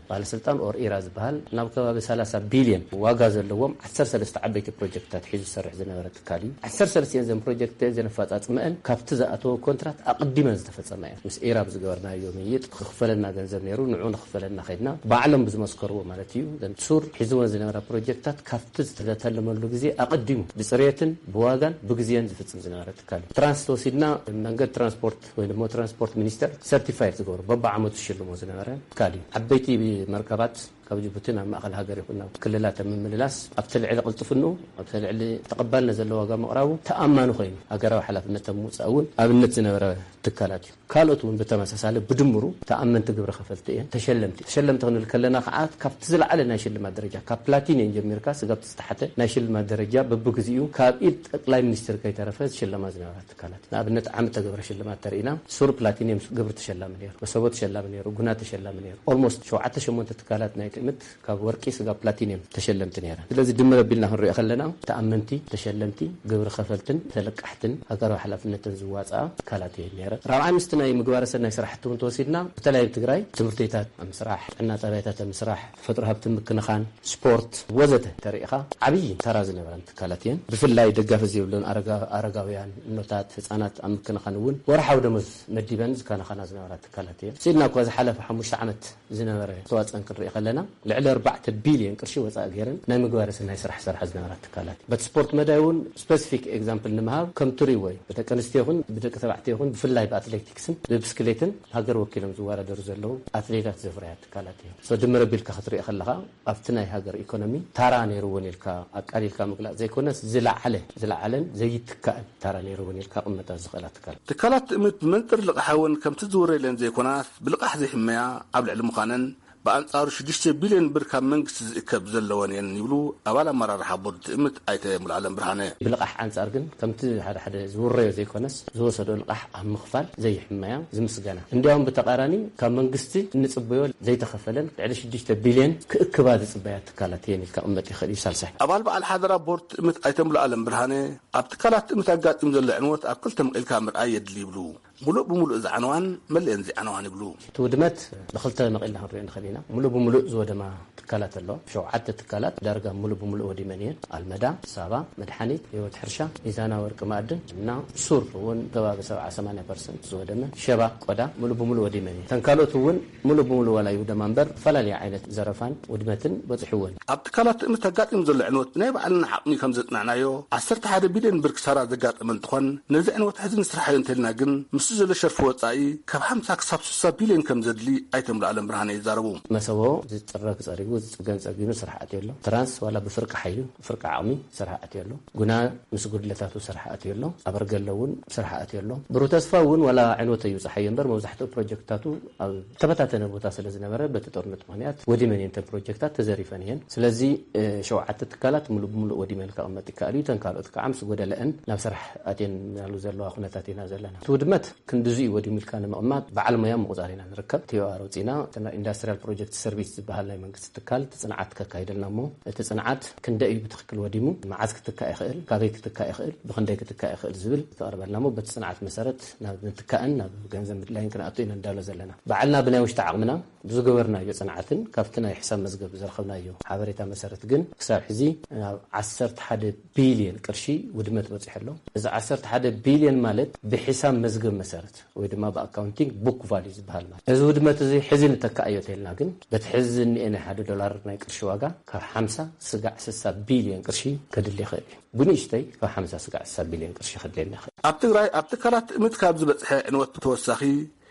ባለስልጣን ኦር ኢራ ዝበሃል ናብ ከባቢ ሰላሳ ቢልዮን ዋጋ ዘለዎም ዓሰርተ ሰለስተ ዓበይቲ ፕሮጀክታት ኣትሒዙ ዝሰርሕ ዝነበረ ትካል እዩ። ዓሰርተ ሰለስተ እዘን ፕሮጀክት እዘን ኣፈፃፅመአን ካብቲ ዝኣተወ ኮንትራት ኣቐዲመን ዝተፈፀማ እየን። ምስ ኢራብ ዝገበርናዮ ምይይጥ ክኽፈለና ገንዘብ ነይሩ፣ ንዑ ንኽፈለና ከድና፣ ባዕሎም ብዝመስከርዎ ማለት እዩ። እዘን ሱር ሒዝወን ዝነበራ ፕሮጀክታት ካብቲ ዝተተለመሉ ግዜ ኣቐዲሙ ብፅሬትን ብዋጋን ብግዜን ዝፍፅም ዝነበረ ትካል እዩ። ትራንስ ተወሲድና፣ መንገድ ትራንስፖርት ወይ ድማ ትራንስፖርት ሚኒስቴር ሰርቲፋይድ ዝገብሩ፣ በብዓመቱ ዝሽልሞ ዝነበረ ትካል እዩ። ዓበይቲ መርከባት ካብ ጅቡቲ ናብ ማእኸል ሃገር ይኹን ናብ ክልላት ኣብ ምምልላስ፣ ኣብቲ ልዕሊ ቅልጥፍንኡ፣ ኣብቲ ልዕሊ ተቐባልነት ዘለዎ ዋጋ ምቕራቡ ተኣማኒ ኮይኑ ሃገራዊ ሓላፍነት ኣብ ምውፃእ እውን ኣብነት ዝነበረ ትካላት እዩ። ካልኦት እውን ብተመሳሳሊ ብድምሩ ተኣመንቲ ግብረ ከፈልቲ እየን። ተሸለምቲ፣ ተሸለምቲ ክንብል ከለና ከዓ ካብቲ ዝለዓለ ናይ ሽልማት ደረጃ፣ ካብ ፕላቲኒየም ጀሚርካ ስጋብ ዝተሓተ ናይ ሽልማት ደረጃ በብግዚኡ ካብ ኢድ ጠቅላይ ሚኒስትር ከይተረፈ ዝሽለማ ዝነበራ ትካላት። ንኣብነት ዓመት ተገብረ ሽልማት ተርእና፣ ሱር ፕላቲኒየም ግብር ተሸላሚ ነይሩ፣ መሰቦ ተሸላሚ ነይሩ፣ ጉና ተሸላሚ ነይሩ። ኦልሞስት ሸውዓተ ሸሞንተ ትካላት ናይ ትእምት ካብ ወርቂ ስጋብ ፕላቲኒየም ተሸለምቲ ነይረን። ስለዚ ድምር ኣቢልና ክንሪኦ ከለና ተኣመንቲ፣ ተሸለምቲ፣ ግብሪ ከፈልትን ተለቃሕትን ሃገራዊ ሓላፍነትን ዝዋፅኣ ትካላት እየን ነይረን። ራብዓይ ምስቲ ናይ ምግባረ ሰናይ ስራሕቲ እውን ተወሲድና፣ በተለይ ኣብ ትግራይ ትምህርት ቤታት ኣብ ምስራሕ፣ ጥዕና ጣብያታት ኣብ ምስራሕ፣ ተፈጥሮ ሃብቲ ምክንኻን፣ ስፖርት ወዘተ ተሪኢኻ ዓብዪ ተራ ዝነበረን ትካላት እየን። ብፍላይ ደጋፊ ዘይብለን ኣረጋ-፣ ኣረጋውያን፣ እኖታት፣ ህፃናት ኣብ ምክንኻን እውን ወርሓዊ ደሞዝ መዲበን ዝከናኸና ዝነበራ ትካላት እየን። ስኢልና እኳ ዝሓለፈ ሓሙሽተ ዓመት ዝነበረ ኣስተዋፅኦን ክንርኢ ከለና፣ ልዕሊ ኣርባዕተ ቢልዮን ቅርሺ ወፃኢ ገይረን ናይ ምግባረ ሰናይ ስራሕ ዝሰርሓ ዝነበራ ትካላት እየን። በቲ ስፖርት መዳይ እውን ስፔሲፊክ ኤግዛምፕል ንምሃብ፣ ከም ትሪእዎ እዩ፣ ብደቂ ኣንስትዮ ይኹን ብደቂ ተባዕትዮ ይኹን ብፍላይ ብኣትሌቲክስን ብብስክሌትን ሃገር ወኪሎም ዝወዳደሩ ዘለዉ ኣትሌታት ዘፍረያ ትካላት እየን። ሶ ድምር ኣቢልካ ክትሪኦ ከለኻ ኣብቲ ናይ ሃገር ኢኮኖሚ ታራ ነይርወን ኢልካ ኣቃሊልካ ምግላፅ ዘይኮነስ ዝለዓለ፣ ዝለዓለን ዘይትካእን ታራ ነይርወን ኢልካ ቅመጣ ዝኽእላ ትካላት። ትካላት ትእምት ብመንፅር ልቓሕ እውን ከምቲ ዝውረየለን ዘይኮናስ ብልቓሕ ዘይሕመያ ኣብ ልዕሊ ምዃነን ብኣንፃሩ ሽዱሽተ ቢልዮን ብር ካብ መንግስቲ ዝእከብ ዘለወን እየን ይብሉ ኣባል ኣመራርሓ ቦርድ ትእምት ኣይተ ሙሉዓለም ብርሃነ። ብልቓሕ ኣንፃር ግን ከምቲ ሓደ ሓደ ዝውረዮ ዘይኮነስ ዝወሰዶ ልቓሕ ኣብ ምኽፋል ዘይሕመያ ዝምስገና። እንዲያውም ብተቓራኒ ካብ መንግስቲ እንፅበዮ ዘይተኸፈለን ልዕሊ ሽዱሽተ ቢልዮን ክእክባ ዝፅበያ ትካላት እየን ኢልካ ቅመጥ ይኽእል እዩ። ሳልሳይ ኣባል በዓል ሓደራ ቦርድ ትእምት ኣይተ ሙሉዓለም ብርሃነ ኣብ ትካላት ትእምት ኣጋጢሙ ዘሎ ዕንወት ኣብ ክልተ መቒልካ ምርኣይ የድሊ ይብሉ። ሙሉእ ብሙሉእ ዝዓነዋን መሊአን ዘይዓነዋን ይብሉ። እቲ ውድመት ብክልተ መቒልና ክንሪኦ ንኽእል ኢና። ሙሉእ ብሙሉእ ዝወደማ ትካላት ኣሎ። ሸውዓተ ትካላት ዳርጋ ሙሉእ ብሙሉእ ወዲመን እየን። ኣልመዳ፣ ሳባ፣ መድሓኒት፣ ህይወት ሕርሻ፣ ሚዛና ወርቂ ማዕድን እና ሱር እውን ከባቢ ሰብዓ ሰማንያ ፐርሰንት ዝወደመ፣ ሸባ፣ ቆዳ ሙሉእ ብሙሉእ ወዲመን እየን። እተን ካልኦት እውን ሙሉእ ብሙሉእ ዋላ ይውደማ እምበር ዝተፈላለየ ዓይነት ዘረፋን ውድመትን በፂሕወን። ኣብ ትካላት ትእምት ኣጋጢሙ ዘሎ ዕንወት ብናይ ባዕልና ዓቕሚ ከም ዘፅናዕናዮ ዓሰርተ ሓደ ቢልዮን ብር ክሳራ ዘጋጠመ እንትኾን፣ ነዚ ዕንወት ሕዚ ንስርሓዮ እንተልና ግን ምስቲ ዘሎ ሸርፊ ወፃኢ ካብ ሓምሳ ክሳብ ስሳ ቢልዮን ከም ዘድሊ ኣይተ ሙሉዓለም ብርሃነ ይዛረቡ። መሰቦ ዝፅረግ ፀሪጉ፣ ዝፅገን ፀጊኑ ስራሕ ኣትዮ ኣሎ። ትራንስ ዋላ ብፍርቂ ሓይሊ፣ ብፍርቂ ዓቕሚ ስራሕ ኣትዮ ኣሎ። ጉና ምስ ጉድለታቱ ስራሕ ኣትዮ ኣሎ። ኣበርገለ እውን ስራሕ ኣትዮ ኣሎ። ብሩህ ተስፋ እውን ዋላ ዕንወት እዩ ፀሓዮ እምበር መብዛሕትኡ ፕሮጀክትታቱ ኣብ ተበታተነ ቦታ ስለ ዝነበረ በቲ ጦርነት ምኽንያት ወዲመን እየን። እተን ፕሮጀክታት ተዘሪፈን እየን። ስለዚ እ፣ ሸውዓተ ትካላት ሙሉእ ብሙሉእ ወዲመን ከቐመጥ ይከኣል እዩ። እተን ካልኦት ከዓ ምስ ጎደለአን ናብ ስራሕ ኣትየናሉ ዘለዋ ኩነታት ኢና ዘለና። እቲ ውድመት ክንድዚ እዩ ወዲሙ ኢልካ ንምቕማጥ በዓል ሞያ ምቑፃር ኢና ንርከብ። ቲ ኦ ኣር ኣውፂና፣ እቲ ናይ ኢንዳስትሪያል ፕሮጀክት ሰርቪስ ዝበሃል ናይ መንግስቲ ትካል እቲ ፅንዓት ከካይደልና እሞ፣ እቲ ፅንዓት ክንደይ እዩ ብትኽክል ወዲሙ፣ መዓዝ ክትካእ ይኽእል፣ ካበይ ክትካእ ይኽእል፣ ብኽንደይ ክትካእ ይኽእል ዝብል ዝተቐርበልና እሞ፣ በቲ ፅንዓት መሰረት ናብ ምትካእን ናብ ገንዘብ ምድላይን ክንኣቱ ኢና እንዳሎ ዘለና። ባዕልና ብናይ ውሽጢ ዓቕምና ብዝገበርናዮ ፅንዓትን ካብቲ ናይ ሕሳብ መዝገብ ዝረኸብናዮ ሓበሬታ መሰረት ግን ክሳብ ሕዚ ናብ ዓሰርተ ሓደ ቢልዮን ቅርሺ ውድመት በፂሑ ኣሎ። እዚ ዓሰርተ ሓደ ቢልዮን ማለት ብሕሳብ መዝገብ መሰረት ወይ ድማ ብኣካውንቲንግ ቡክ ቫልዩ ዝበሃል ማለት። እዚ ውድመት እዚ ሕዚ ንተካእዮ ተልና ግን በቲ ሕዚ ዝኒኤ ናይ ሓደ ዶላር ናይ ቅርሺ ዋጋ ካብ ሓምሳ ስጋዕ ስሳ ቢልዮን ቅርሺ ከድሊ ይኽእል እዩ። ብንእሽተይ ካብ ሓምሳ ስጋዕ ስሳ ቢልዮን ቅርሺ ከድልየና ይኽእል። ኣብ ትግራይ ኣብ ትካላት ትእምት ካብ ዝበፅሐ ዕንወት ብተወሳኺ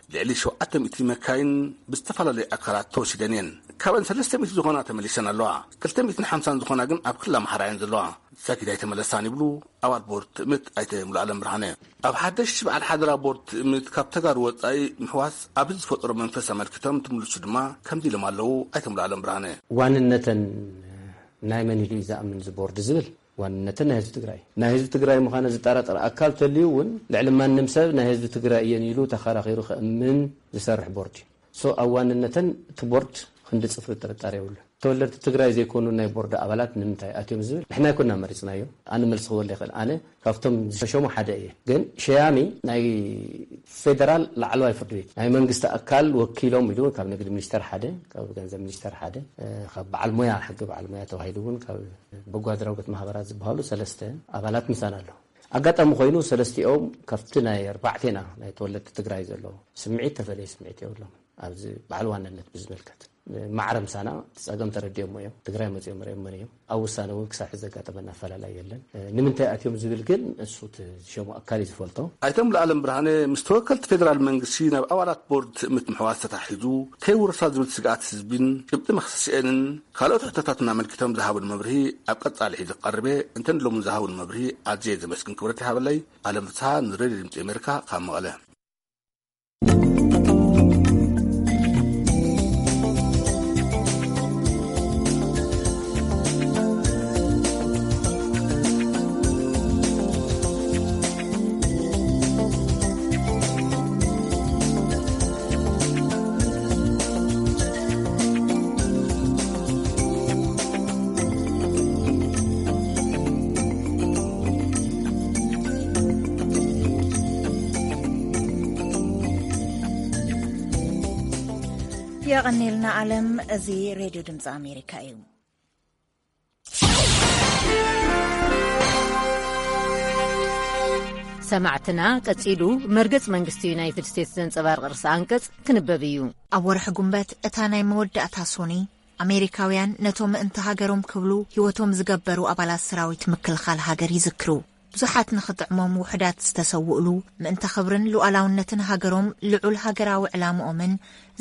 ልዕሊ ሸውዓተ ሚእቲ መካይን ብዝተፈላለዩ ኣካላት ተወሲደን እየን። ካብአን ሰለስተ ሚእቲ ዝኾና ተመሊሰን ኣለዋ። ክልተ ሚእትን ሓምሳን ዝኾና ግን ኣብ ክልል ኣምሓራ እየን ዘለዋ። ዛጊድ ኣይተመለሳን ይብሉ ኣባል ቦርድ ትእምት ኣይተ ሙሉዓለም ብርሃነ። ኣብ ሓደሽቲ በዓል ሓደራ ቦርድ ትእምት ካብ ተጋሩ ወፃኢ ምሕዋስ ኣብዚ ዝፈጠሮ መንፈስ ኣመልኪቶም ትምልሱ ድማ ከምዚ ኢሎም ኣለዉ ኣይተ ሙሉዓለም ብርሃነ። ዋንነተን ናይ መን ኢሉ እዩ ዝኣምን እዚ ቦርድ ዝብል ዋንነተን ናይ ህዝቢ ትግራይ፣ ናይ ህዝቢ ትግራይ ምዃነ ዝጠራጠር ኣካል ተልዩ እውን ልዕሊ ማንም ሰብ ናይ ህዝቢ ትግራይ እየን ኢሉ ተኸራኺሩ ከእምን ዝሰርሕ ቦርድ እዩ። ሶ ኣብ ዋንነተን እቲ ቦርድ ክንዲ ፅፍሪ ጥርጣሬ የብሉን። ተወለድቲ ትግራይ ዘይኮኑ ናይ ቦርድ ኣባላት ንምንታይ ኣትዮም ዝብል ንሕና ኣይኮና መሪፅናዮ። ኣነ መልሲ ክበል ይኽእል። ኣነ ካብቶም ዝሸሙ ሓደ እየ። ግን ሸያሚ ናይ ፌደራል ላዕለዋይ ፍርዲ ቤት ናይ መንግስቲ ኣካል ወኪሎም ኢሉ እውን ካብ ንግዲ ሚኒስተር ሓደ፣ ካብ ገንዘብ ሚኒስተር ሓደ፣ ካብ በዓል ሞያ ሕጊ በዓል ሞያ ተባሂሉ እውን ካብ በጎ ኣድራጎት ማህበራት ዝበሃሉ ሰለስተ ኣባላት ምሳና ኣሎ። ኣጋጣሚ ኮይኑ ሰለስቲኦም ካብቲ ናይ ኣርባዕቴና ናይ ተወለድቲ ትግራይ ዘሎ ስምዒት ተፈለየ ስምዒት የብሎም። ኣብዚ በዓል ዋንነት ብዝምልከት ማዕረ ምሳና እቲ ጸገም ተረዲኦሞ እዮም። ትግራይ መጺኦም ርኦም መን እዮም። ኣብ ውሳነ እውን ክሳብ ሕዚ ዘጋጠመና ኣፈላላይ የለን። ንምንታይ ኣትዮም ዝብል ግን እሱ እቲ ዝሸሙ ኣካል እዩ ዝፈልጦ። ኣይቶም ለኣለም ብርሃነ ምስ ተወከልቲ ፌደራል መንግስቲ ናብ ኣባላት ቦርድ ትእምት ምሕዋስ ተታሒዙ ከይውረሳ ዝብል ስግኣት ህዝቢን ጭብጢ መኽሰሲአንን ካልኦት ሕቶታትን ኣመልኪቶም ዝሃቡን መብርሂ ኣብ ቀጻሊ ሒዚ ክቐርብ እየ። እንተን ሎሚ ዝሃቡን መብርሂ ኣዝየ ዘመስግን ክብረት ይሃበለይ። ኣለም ፍስሃ ንሬድዮ ድምፂ ኣሜሪካ ካብ መቐለ። የቐኔልና ኣለም። እዚ ሬድዮ ድምፂ ኣሜሪካ እዩ። ሰማዕትና፣ ቀጺሉ መርገጽ መንግስቲ ዩናይትድ ስቴትስ ዘንጸባርቕ ርእሰ ኣንቀጽ ክንበብ እዩ። ኣብ ወርሒ ጉንበት፣ እታ ናይ መወዳእታ ሶኒ፣ ኣሜሪካውያን ነቶም ምእንቲ ሃገሮም ክብሉ ህይወቶም ዝገበሩ ኣባላት ሰራዊት ምክልኻል ሃገር ይዝክሩ። ብዙሓት ንኽጥዕሞም ውሑዳት ዝተሰውእሉ፣ ምእንቲ ክብርን ሉዓላውነትን ሃገሮም ልዑል ሃገራዊ ዕላምኦምን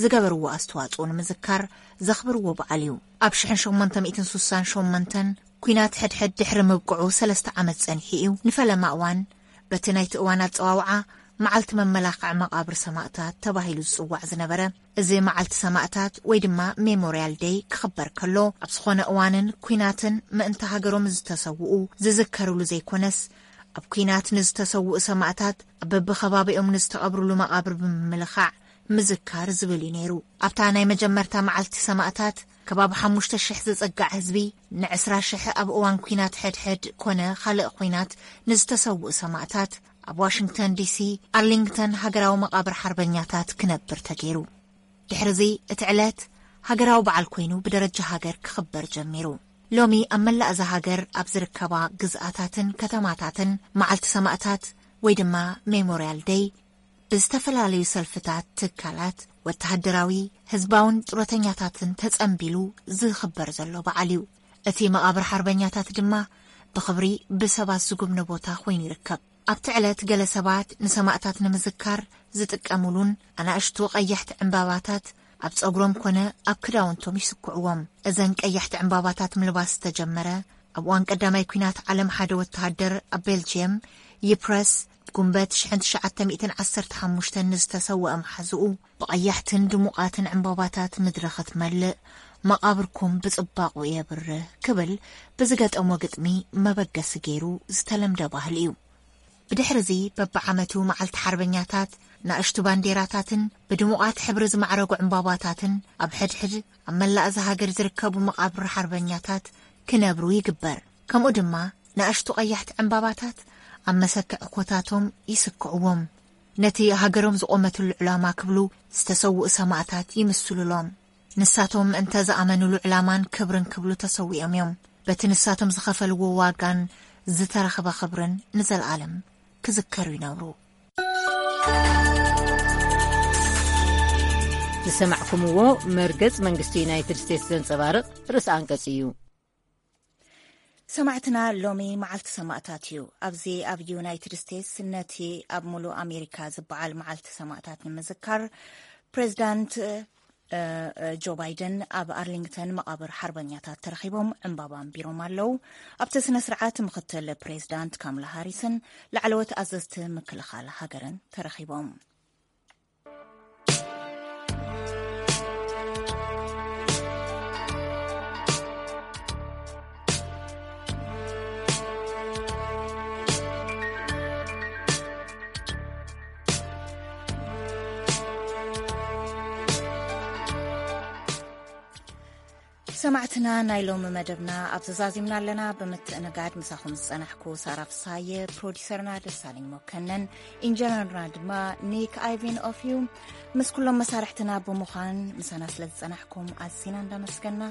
ዝገበርዎ ኣስተዋጽኦ ንምዝካር ዘኽብርዎ በዓል እዩ። ኣብ ሽሕን ሸሞንተ ሚእትን ሱሳን ሸሞንተን ኲናት ሕድሕድ ድሕሪ ምብቅዑ ሰለስተ ዓመት ጸኒሑ እዩ። ንፈለማ እዋን በቲ ናይቲ እዋን ኣጸዋውዓ መዓልቲ መመላኽዒ መቓብር ሰማእታት ተባሂሉ ዝጽዋዕ ዝነበረ፣ እዚ መዓልቲ ሰማእታት ወይ ድማ ሜሞርያል ደይ ክኽበር ከሎ፣ ኣብ ዝኾነ እዋንን ኲናትን ምእንቲ ሃገሮም ዝተሰውኡ ዝዝከርሉ ዘይኮነስ፣ ኣብ ኲናት ንዝተሰውኡ ሰማእታት ኣብ በብኸባቢኦም ንዝተቐብሩሉ መቓብር ብምምልኻዕ ምዝካር ዝብል እዩ ነይሩ። ኣብታ ናይ መጀመርታ መዓልቲ ሰማእታት ከባቢ ሓሙሽተ ሽሕ ዝጽጋዕ ህዝቢ ንዕስራ ሽሕ ኣብ እዋን ኲናት ሕድሕድ ኮነ ካልእ ኲናት ንዝተሰውኡ ሰማእታት ኣብ ዋሽንግተን ዲሲ ኣርሊንግተን ሃገራዊ መቓብር ሓርበኛታት ክነብር ተገይሩ። ድሕርዚ እቲ ዕለት ሃገራዊ በዓል ኮይኑ ብደረጃ ሃገር ክኽበር ጀሚሩ። ሎሚ ኣብ መላእ እዛ ሃገር ኣብ ዝርከባ ግዝኣታትን ከተማታትን መዓልቲ ሰማእታት ወይ ድማ ሜሞርያል ደይ ብዝተፈላለዩ ሰልፍታት፣ ትካላት፣ ወተሃደራዊ፣ ህዝባውን ጡረተኛታትን ተጸንቢሉ ዝኽበር ዘሎ በዓል እዩ። እቲ መቓብር ሓርበኛታት ድማ ብኽብሪ ብሰባት ዝጉብነ ቦታ ኮይኑ ይርከብ። ኣብቲ ዕለት ገለ ሰባት ንሰማእታት ንምዝካር ዝጥቀሙሉን ኣናእሽቱ ቀያሕቲ ዕምባባታት ኣብ ጸጉሮም ኮነ ኣብ ክዳውንቶም ይስክዕዎም። እዘን ቀያሕቲ ዕምባባታት ምልባስ ዝተጀመረ ኣብ እዋን ቀዳማይ ኲናት ዓለም ሓደ ወተሃደር ኣብ ቤልጅየም ይፕረስ ጉንበት ሽሕን ትሽዓተ ሚእትን ዓሰርተ ሓሙሽተን ንዝተሰወአ መሓዝኡ ብቐያሕትን ድሙቓትን ዕምባባታት ምድሪ ክትመልእ መቓብርኩም ብጽባቑ የብርህ ክብል ብዝገጠሞ ግጥሚ መበገሲ ገይሩ ዝተለምደ ባህሊ እዩ። ብድሕርዚ በብዓመቱ መዓልቲ ሓርበኛታት ንኣሽቱ ባንዴራታትን ብድሙቓት ሕብሪ ዝማዕረጉ ዕምባባታትን ኣብ ሕድሕድ ኣብ መላእ እዛ ሃገር ዝርከቡ መቓብር ሓርበኛታት ክነብሩ ይግበር። ከምኡ ድማ ንኣሽቱ ቀያሕቲ ዕምባባታት ኣብ መሰክዕ ኮታቶም ይስክዕዎም። ነቲ ሃገሮም ዝቖመትሉ ዕላማ ክብሉ ዝተሰውኡ ሰማእታት ይምስሉሎም። ንሳቶም እንተ ዝኣመኑሉ ዕላማን ክብርን ክብሉ ተሰዊኦም እዮም። በቲ ንሳቶም ዝኸፈልዎ ዋጋን ዝተረኽበ ክብርን ንዘለኣለም ክዝከሩ ይነብሩ። ዝሰማዕኩምዎ መርገጽ መንግስቲ ዩናይትድ ስቴትስ ዘንጸባርቕ ርእሰ ኣንቀጽ እዩ። ሰማዕትና፣ ሎሚ መዓልቲ ሰማእታት እዩ። ኣብዚ ኣብ ዩናይትድ ስቴትስ ነቲ ኣብ ሙሉእ ኣሜሪካ ዝበዓል መዓልቲ ሰማእታት ንምዝካር ፕሬዚዳንት እ፣ እ፣ ጆ ባይደን ኣብ ኣርሊንግተን መቓብር ሓርበኛታት ተረኺቦም ዕምባባ ኣንቢሮም ኣለዉ። ኣብቲ ስነ ስርዓት ምኽትል ፕሬዚዳንት ካምላ ሃሪስን ላዕለዎት ኣዘዝቲ ምክልኻል ሃገርን ተረኺቦም። ሰማዕትና፣ ናይ ሎሚ መደብና ኣብ ዘዛዚምና ኣለና። ብምትእንጋድ ምሳኹም ዝጸናሕኩ ሳራ ፍሳየ፣ ፕሮዲሰርና ደሳለኝ መኮነን፣ ኢንጀነርና ድማ ኒክ ኣይቪን ኦፍ ዩ። ምስ ኩሎም መሳርሕትና ብምዃን ምሳና ስለ ዝጸናሕኩም ኣዝና እንዳመስገና፣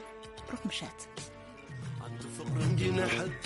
ብሩኽ ምሸት። ኣንቲ ፍቕሪ እንዲነሐት